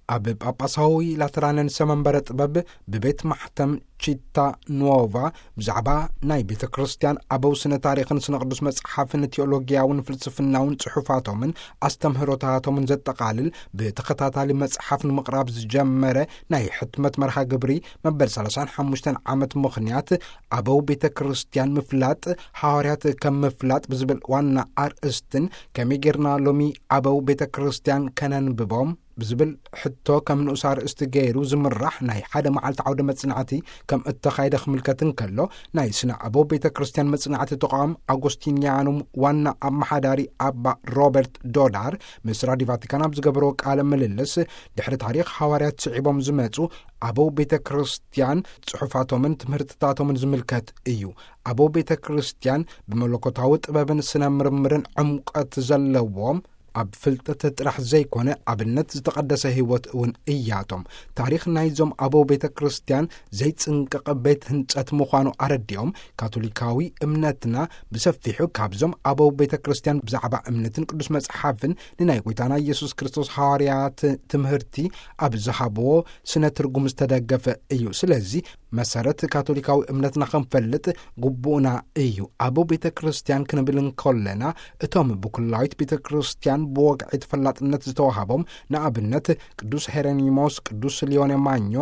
ኣብ ጳጳሳዊ ላተራን ርእሰ መንበረ ጥበብ ብቤት ማሕተም ቺታ ኖቫ ብዛዕባ ናይ ቤተ ክርስቲያን ኣበው ስነ ታሪኽን ስነ ቅዱስ መጽሓፍን ቴዎሎጊያውን ፍልስፍናውን ጽሑፋቶምን ኣስተምህሮታቶምን ዘጠቓልል ብተኸታታሊ መጽሓፍ ንምቕራብ ዝጀመረ ናይ ሕትመት መርሃ ግብሪ መበል ሰላሳን ሓሙሽተን ዓመት ምኽንያት ኣበው ቤተ ክርስቲያን ምፍላጥ፣ ሃዋርያት ከም ምፍላጥ ብዝብል ዋና ኣርእስትን ከመይ ጌርና ሎሚ ኣበው ቤተ ክርስቲያን ከነንብቦም ብዝብል ሕቶ ከም ንኡስ ኣርእስቲ ገይሩ ዝምራሕ ናይ ሓደ መዓልቲ ዓውደ መጽናዕቲ ከም እተኻይደ ክምልከት እንከሎ፣ ናይ ስነ ኣበው ቤተ ክርስቲያን መጽናዕቲ ተቋም ኣጎስቲንያኑም ዋና ኣመሓዳሪ ኣባ ሮበርት ዶዳር ምስ ራዲዮ ቫቲካን ኣብ ዝገበርዎ ቃለ ምልልስ፣ ድሕሪ ታሪኽ ሃዋርያት ስዒቦም ዝመጹ ኣበው ቤተ ክርስቲያን ጽሑፋቶምን ትምህርትታቶምን ዝምልከት እዩ። ኣበው ቤተ ክርስቲያን ብመለኮታዊ ጥበብን ስነ ምርምርን ዕምቀት ዘለዎም፣ ኣብ ፍልጠት ጥራሕ ዘይኮነ ኣብነት ዝተቐደሰ ህይወት እውን እያቶም። ታሪኽ ናይዞም ኣበው ቤተ ክርስቲያን ዘይጽንቀቕ ቤት ህንጸት ምዃኑ ኣረዲኦም፣ ካቶሊካዊ እምነትና ብሰፊሑ ካብዞም ኣበው ቤተ ክርስቲያን ብዛዕባ እምነትን ቅዱስ መጽሓፍን ንናይ ጐይታና ኢየሱስ ክርስቶስ ሃዋርያት ትምህርቲ ኣብ ዝሃብዎ ስነ ትርጉም ዝተደገፈ እዩ። ስለዚ መሰረት ካቶሊካዊ እምነትና ክንፈልጥ ግቡእና እዩ። ኣበው ቤተ ክርስቲያን ክንብል እንከለና፣ እቶም ብኩላዊት ቤተ ክርስቲያን ብወግዒ ተፈላጥነት ዝተዋሃቦም፣ ንኣብነት ቅዱስ ሄረኒሞስ፣ ቅዱስ ሊዮኔ ማኞ፣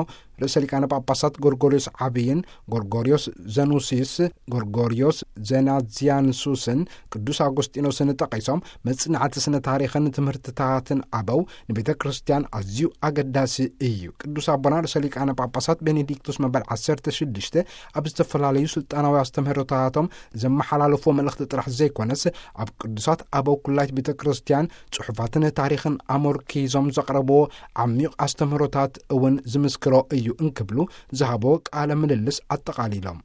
ርእሰ ሊቃነ ጳጳሳት ጎርጎርዮስ ዓብይን፣ ጎርጎርዮስ ዘኑሲስ፣ ጎርጎርዮስ ዘናዚያንሱስን፣ ቅዱስ ኣጎስጢኖስን ጠቒሶም፣ መጽናዕቲ ስነ ታሪኽን ትምህርትታትን ኣበው ንቤተ ክርስቲያን ኣዝዩ ኣገዳሲ እዩ። ቅዱስ ኣቦና ርእሰ ሊቃነ ጳጳሳት ቤኔዲክቱስ መበል ዓሰርተ ሽዱሽተ ኣብ ዝተፈላለዩ ስልጣናዊ ኣስተምህሮታቶም ዘመሓላለፍዎ መልእኽቲ ጥራሕ ዘይኮነስ፣ ኣብ ቅዱሳት ኣበው ኩላይት ቤተ ክርስቲያን ጽሑፋትን ታሪኽን ኣመርኪዞም ዘቕረብዎ ዓሚቕ ኣስተምህሮታት እውን ዝምስክሮ እዩ እንክብሉ ዝሃብዎ ቃለ ምልልስ ኣጠቓሊሎም።